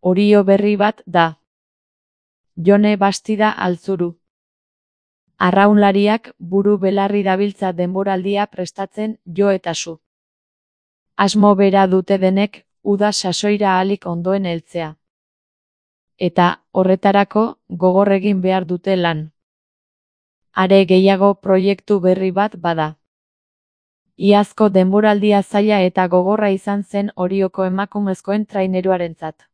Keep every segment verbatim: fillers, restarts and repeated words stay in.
Orio berri bat da. Jone Bastida Altzuru. Arraunlariak buru belarri dabiltza denboraldia prestatzen jo eta zu. Asmo bera dute denek, uda sasoira ahalik ondoen heltzea. Eta, horretarako, gogor egin behar dute lan. Are gehiago proiektu berri bat bada. Iazko denboraldia zaila eta gogorra izan zen Orioko emakumezkoen traineruarentzat.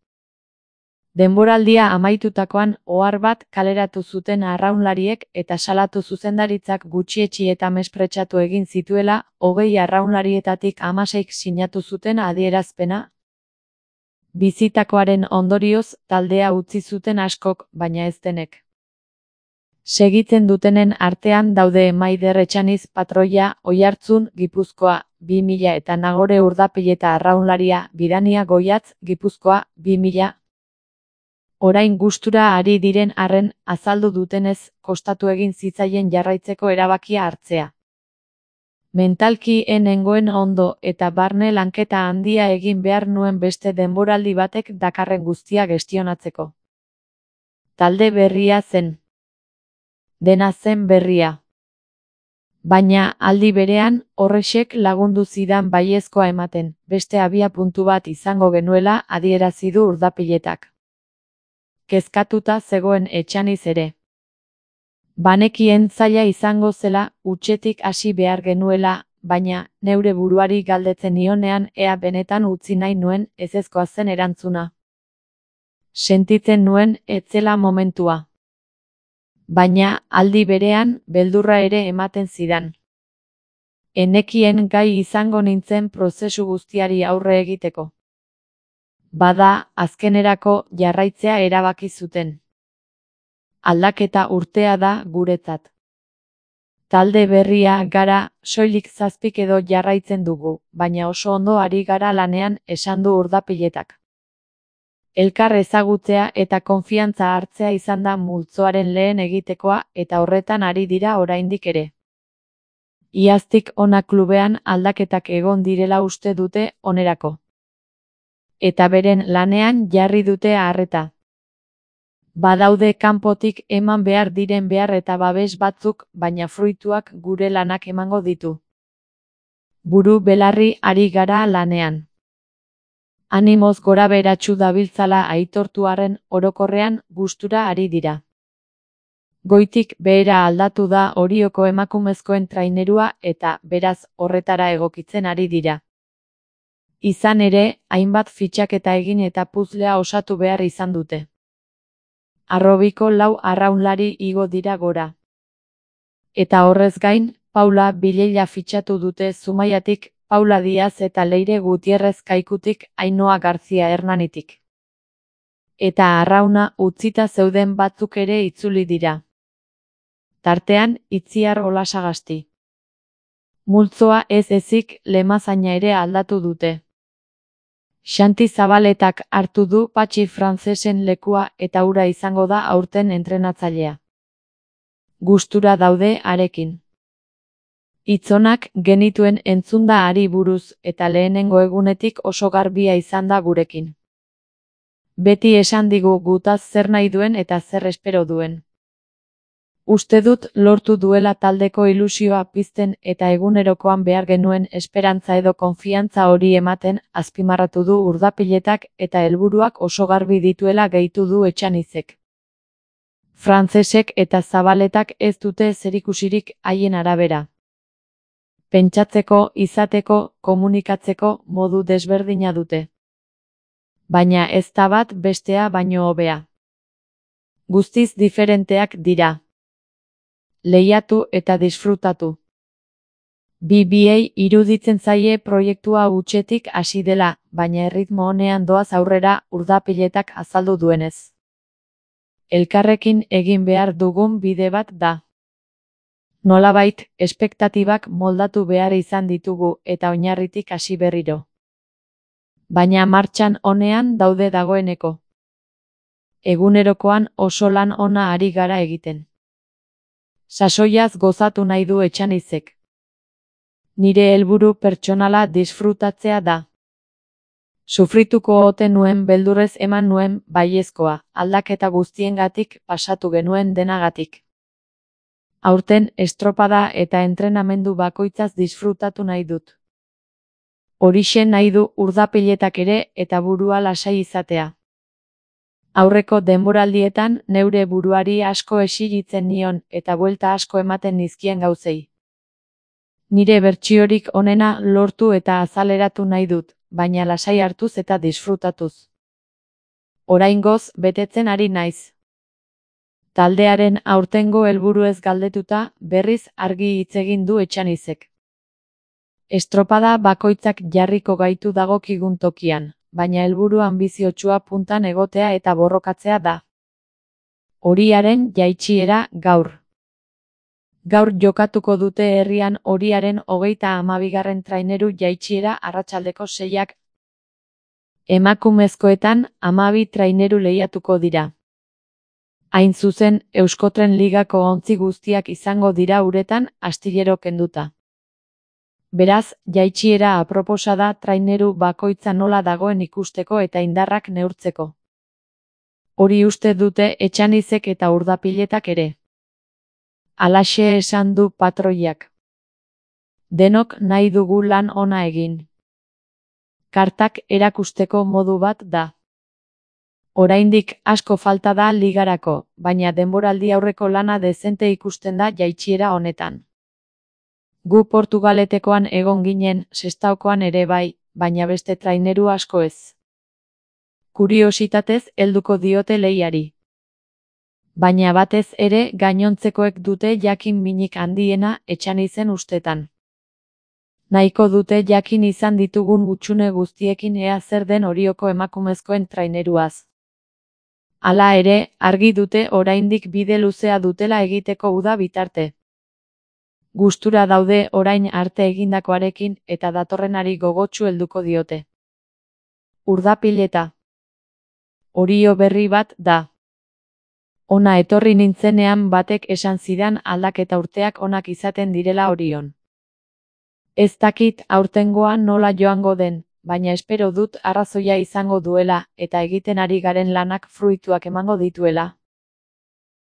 Denboraldia amaitutakoan ohar bat kaleratu zuten arraunlariek eta salatu zuzendaritzak gutxietsi eta mespretsatu egin zituela, hogei arraunlarietatik hamaseik sinatu zuten adierazpena. Bizitakoaren ondorioz taldea utzi zuten askok, baina ez denek. Segitzen dutenen artean daude Maider Etxaniz patroia, Oiartzun, Gipuzkoa, bi mila eta Nagore Urdapilleta arraunlaria, Bidania Goiatz, Gipuzkoa, bi mila. Orain gustura ari diren arren, azaldu dutenez, kostatu egin zitzaien jarraitzeko erabakia hartzea. Mentalki ez nengoen ondo eta barne lanketa handia egin behar nuen beste denboraldi batek dakarren guztia gestionatzeko. Talde berria zen. Dena zen berria. Baina, aldi berean, horrexek lagundu zidan baiezkoa ematen, beste abia puntu bat izango genuela adierazi du Urdapiletak. Kezkatuta zegoen Etxaniz ere. Banekien zaila izango zela, hutsetik hasi behar genuela, baina, neure buruari galdetzen nionean ea benetan utzi nahi nuen ezezkoa zen erantzuna. Sentitzen nuen ez zela momentua. Baina, aldi berean, beldurra ere ematen zidan. Enekien gai izango nintzen prozesu guztiari aurre egiteko. Bada, azkenerako jarraitzea erabaki zuten. Aldaketa urtea da guretzat. Talde berria gara, soilik zazpik edo jarraitzen dugu, baina oso ondo ari gara lanean, esan du Urdapiletak. Elkar ezagutzea eta konfiantza hartzea izan da multzoaren lehen egitekoa eta horretan ari dira oraindik ere. Iaztik hona klubean aldaketak egon direla uste dute onerako. Eta beren lanean jarri dute arreta. Badaude kanpotik eman behar diren behar eta babes batzuk, baina fruituak gure lanak emango ditu. Buru belarri ari gara lanean. Animoz gora beratsu dabiltzala aitortu arren orokorrean gustura ari dira. Goitik behera aldatu da Orioko emakumezkoen trainerua eta, beraz, horretara egokitzen ari dira. Izan ere, hainbat fitxaketa egin eta puzlea osatu behar izan dute. Arrobiko lau arraunlari igo dira gora. Eta horrez gain, Paula Bileila fitxatu dute Zumaiatik, Paula Diaz eta Leire Gutierrez Kaikutik, Ainhoa Garzia Hernanitik. Eta arrauna utzita zeuden batzuk ere itzuli dira. Tartean, Itziar Olasagasti. Multzoa ez ezik lemazaina ere aldatu dute. Xanti Zabaletak hartu du Patxi Frantzesen lekua eta hura izango da aurten entrenatzailea. Gustura daude harekin. Hitzonak genituen entzunda ari buruz eta lehenengo egunetik oso garbia izan da gurekin. Beti esan digu gutaz zer nahi duen eta zer espero duen. Uste dut lortu duela taldeko ilusioa pizten eta egunerokoan behar genuen esperantza edo konfiantza hori ematen, azpimarratu du Urdapiletak eta helburuak oso garbi dituela gehitu du Etxanizek. Frantzesek eta Zabaletak ez dute zerikusirik haien arabera. Pentsatzeko, izateko, komunikatzeko modu desberdina dute. Baina ez da bat bestea baino hobea. Guztiz diferenteak dira. Lehiatu eta disfrutatu. Bi biei iruditzen zaie proiektua hutsetik hasi dela, baina erritmo honean doaz aurrera Urdapiletak azaldu duenez. Elkarrekin egin behar dugun bide bat da. Nolabait, espektatibak moldatu behar izan ditugu eta oinarritik hasi berriro. Baina martxan honean daude dagoeneko. Egunerokoan oso lan ona ari gara egiten. Sasoiaz gozatu nahi du Etxanizek. Nire helburu pertsonala disfrutatzea da. Sufrituko ote nuen beldurrez eman nuen baiezkoa, aldaketa guztiengatik pasatu genuen denagatik. Aurten estropada eta entrenamendu bakoitzaz disfrutatu nahi dut. Horixe nahi du urdapiletak ere eta burua lasai izatea. Aurreko denboraldietan neure buruari asko exigitzen nion eta buelta asko ematen nizkien gauzei. Nire bertsiorik onena lortu eta azaleratu nahi dut, baina lasai hartuz eta disfrutatuz. Oraingoz betetzen ari naiz. Taldearen aurtengo helburuez galdetuta, berriz argi hitz egin du Etxanizek. Estropada bakoitzak jarriko gaitu dagokigun tokian, baina helburu anbiziotsua puntan egotea eta borrokatzea da. Horiaren jaitsiera gaur. Gaur jokatuko dute herrian Horiaren hogeita hamabigarren traineru jaitsiera arratsaldeko seiak. Emakumezkoetan hamabi traineru lehiatuko dira. Hain zuzen, Euskotren Ligako ontzi guztiak izango dira uretan astillero kenduta. Beraz, jaitsiera aproposa da traineru bakoitza nola dagoen ikusteko eta indarrak neurtzeko. Hori uste dute Etxanizek eta urdapiletak ere. Halaxe esan du patroiak. Denok nahi dugu lan ona egin. Kartak erakusteko modu bat da. Oraindik asko falta da ligarako, baina denboraldi aurreko lana dezente ikusten da jaitsiera honetan. Gu Portugaletekoan egon ginen, Sestaokoan ere bai, baina beste traineru asko ez. Kuriositatez helduko diote lehiari. Baina batez ere gainontzekoek dute jakin minik handiena Etxanizen ustetan. Nahiko dute jakin izan ditugun hutsune guztiekin ea zer den Orioko emakumezkoen traineruaz. Hala ere, argi dute oraindik bide luzea dutela egiteko uda bitarte. Gustura daude orain arte egindakoarekin eta datorrenari gogotsu helduko diote. Urdapileta. Orio berri bat da. Ona etorri nintzenean batek esan zidan aldaketa urteak onak izaten direla Orion. Ez dakit aurtengoa nola joango den, baina espero dut arrazoia izango duela eta egiten ari garen lanak fruituak emango dituela.